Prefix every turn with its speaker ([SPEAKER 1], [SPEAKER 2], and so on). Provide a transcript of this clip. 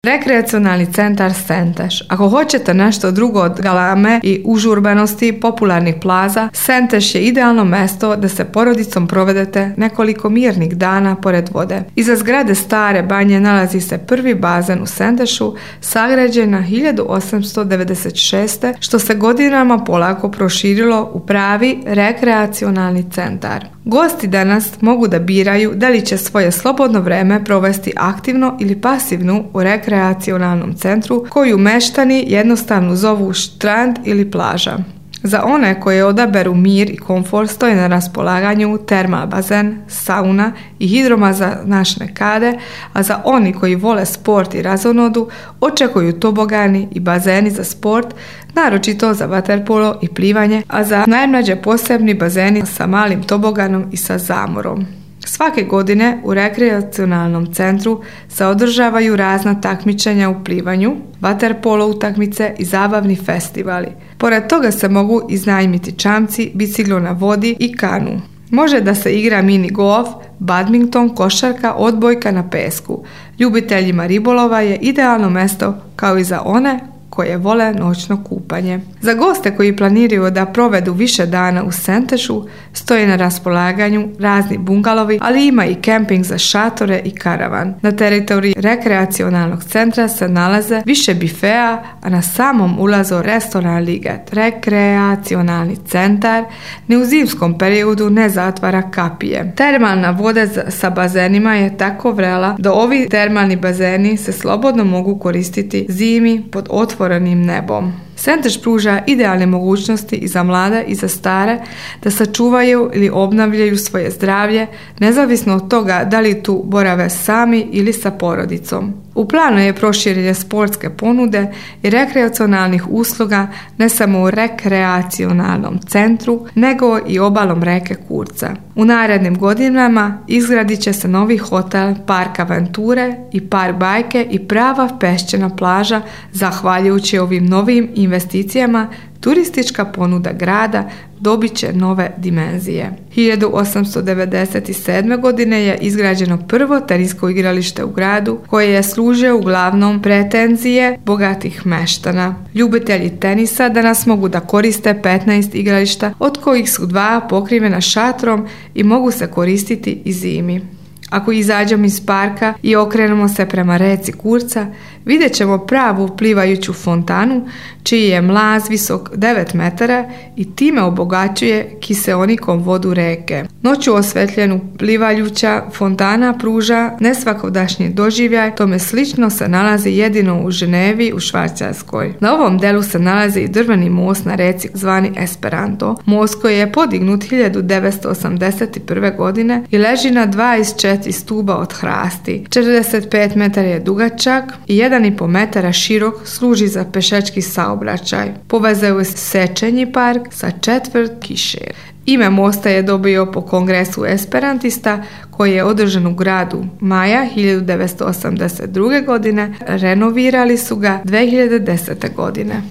[SPEAKER 1] Rekreacionalni centar Senteš. Ako hoćete nešto drugo od galame i užurbanosti popularnih plaza, Senteš je idealno mesto da se porodicom provedete nekoliko mirnih dana pored vode. Iza zgrade Stare banje nalazi se prvi bazen u Sentešu, sagrađen na 1896. što se godinama polako proširilo u pravi rekreacionalni centar. Gosti danas mogu da biraju da li će svoje slobodno vreme provesti aktivno ili pasivno u rekreacionalnom centru, koju meštani jednostavno zovu štrand ili plaža. Za one koje odaberu mir i komfort stoje na raspolaganju termal bazen, sauna i hidromasažne kade, a za oni koji vole sport i razonodu očekuju tobogani i bazeni za sport, naročito za vaterpolo i plivanje, a za najmlađe posebni bazeni sa malim toboganom i sa zamorom. Svake godine u rekreacionalnom centru se održavaju razna takmičenja u plivanju, vaterpolo utakmice i zabavni festivali. Pored toga se mogu iznajmiti čamci, biciklo na vodi i kanu. Može da se igra mini golf, badminton, košarka, odbojka na pesku. Ljubiteljima ribolova je idealno mesto kao i za one koje vole noćno kupanje. Za goste koji planiraju da provedu više dana u Sentešu stoje na raspolaganju razni bungalovi, ali ima i kemping za šatore i karavan. Na teritoriji rekreacionalnog centra se nalaze više bifea, a na samom ulazu restoran Liget. Rekreacionalni centar ni u zimskom periodu ne zatvara kapije. Termalna voda sa bazenima je tako vrela da ovi termalni bazeni se slobodno mogu koristiti zimi pod otvorenim nebom. Senteš pruža idealne mogućnosti i za mlade i za stare da sačuvaju ili obnavljaju svoje zdravlje, nezavisno od toga da li tu borave sami ili sa porodicom. U planu je proširenje sportske ponude i rekreacionalnih usluga ne samo u rekreacionalnom centru, nego i obalom reke Kurca. U narednim godinama izgradit će se novi hotel, park aventure i park bajke i prava peščana plaža. Zahvaljujući ovim novim investicijama, turistička ponuda grada dobit će nove dimenzije. 1897. godine je izgrađeno prvo tenisko igralište u gradu, koje je služio uglavnom pretenzije bogatih meštana. Ljubitelji tenisa danas mogu da koriste 15 igrališta, od kojih su 2 pokrivena šatrom i mogu se koristiti i zimi. Ako izađemo iz parka i okrenemo se prema reci Kurca, vidjet ćemo pravu plivajuću fontanu, čiji je mlaz visok 9 metara i time obogaćuje kiseonikom vodu reke. Noću osvetljenu plivajuća fontana pruža nesvakodašnji doživljaj, tome slično se nalazi jedino u Ženevi u Švajcarskoj. Na ovom delu se nalazi i drveni most na reci zvani Esperanto, most koji je podignut 1981. godine i leži na 24 stuba od hrasti. 45 metara je dugačak i 1,5 metara širok, služi za pešački saobraćaj. Povezuje Sečenji park sa četvrt Kišer. Ime mosta je dobio po kongresu esperantista koji je održan u gradu maja 1982. godine. Renovirali su ga 2010. godine.